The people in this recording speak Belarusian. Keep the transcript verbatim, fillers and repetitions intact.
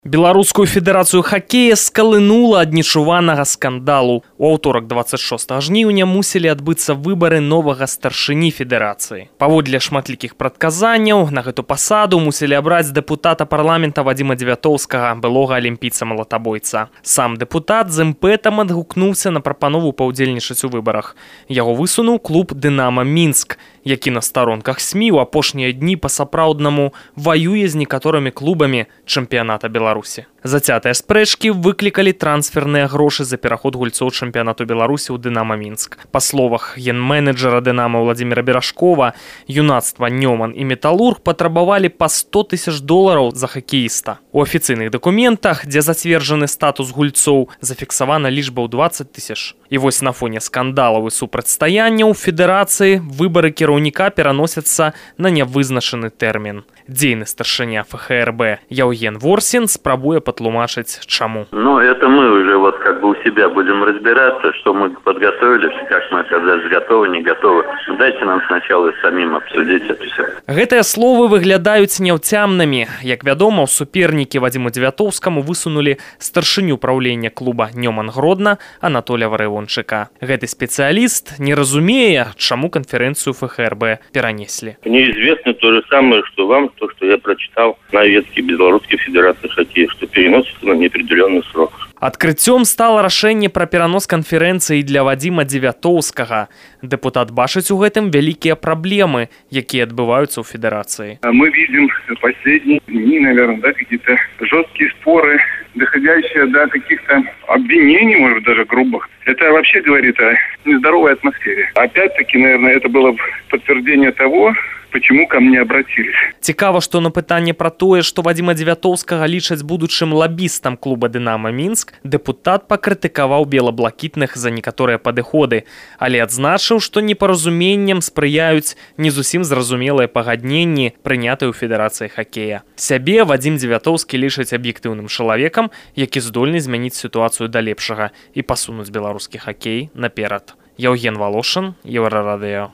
Беларускую федэрацыю хакея скалынула ад нечуванага скандалу. У аўторак дваццаць шостага жніўня мусілі адбыцца выбары новага старшыні федэрацыі. Паводле шматлікіх прадказанняў, на гэту пасаду мусілі абраць дэпутата парламента Вадзіма Дзевятоўскага, былога алімпійца-малатабойца. Сам дэпутат з імпэтам адгукнуўся на прапанову паўдзельнічаць у выбарах. Яго высунуў клуб «Дынама Мінск», які на старонках СМІ ў апошнія дні па-сапраўднаму ваюе з некаторымі клубамі чэмпіяната Беларусі. Зацятыя спрэчкі выклікалі трансферныя грошы за пераход гульцоў чэмпіянату Беларусі ў «Дынама Мінск». Па словах ген-менеджера «Дынама» Владзіміра Берашкова, юнацтва «Нёман» і «Металург» патрабавалі па сто тысяч долараў за хакеіста. У афіцыйных дакументах, дзе зацверджаны статус гульцоў, зафіксавана лічба ў дваццаць тысяч. І вось на фоне скандалаў і супрацьстаянняў федэрацыі выбары кіраўніка пераносяцца на нявызначаны тэрмін. Дзейны старшыня эф ха эр бэ Яўген Ворсін спрабуе патлумачыць, чаму. Ну, это мы уже вот как бы у себя будем разбираться, что мы подготовились, как мы оказались готовы, не готовы. Дайте нам сначала самим обсудить это все. Гэтыя словы выглядаюць няўцямнымі. Як вядома, супернікі Вадзіму Дзевятоўскаму высунулі старшыню праўлення клуба «Нёман Гродна» Анатолія Варывончыка. Гэты спецыяліст не разумее, чаму канферэнцыю эф ха эр бэ перанеслі. Мне известно то же самое, что вам, то, что я прочитал на ветке Белорусской Федерации хоккея, что переносится на неопределенный срок. Адкрыццём стала рашэнне пра перанос канферэнцыі для Вадзіма Дзевятоўскага. Дэпутат бачыць у гэтым вялікія праблемы, якія адбываюцца ў федэрацыі. Мы видим последние дни, наверное, да, какие-то жесткие споры, доходящие до каких-то обвинений, может быть, даже грубых. Это вообще говорит о нездоровой атмосфере. Опять-таки, наверное, это было подтверждение того, почему ко мне обратились. Цікава, што на пытанне пра тое, што Вадзіма Дзевятоўскага лічаць будучым лабістам клуба «Дынама Мінск», дэпутат пакрытыкаваў белаблакітных за некаторыя падыходы, але адзначыў, што непаразуменням спрыяюць не зусім зразумелыя пагадненні, прынятыя ў федэрацыі хакея. Сябе Вадзім Дзевятоўскі лічыць аб'ектыўным чалавекам, які здольны змяніць сітуацыю да лепшага і пасунуць беларускі хакей наперад. Яўген Валошын, Еўрарадыё.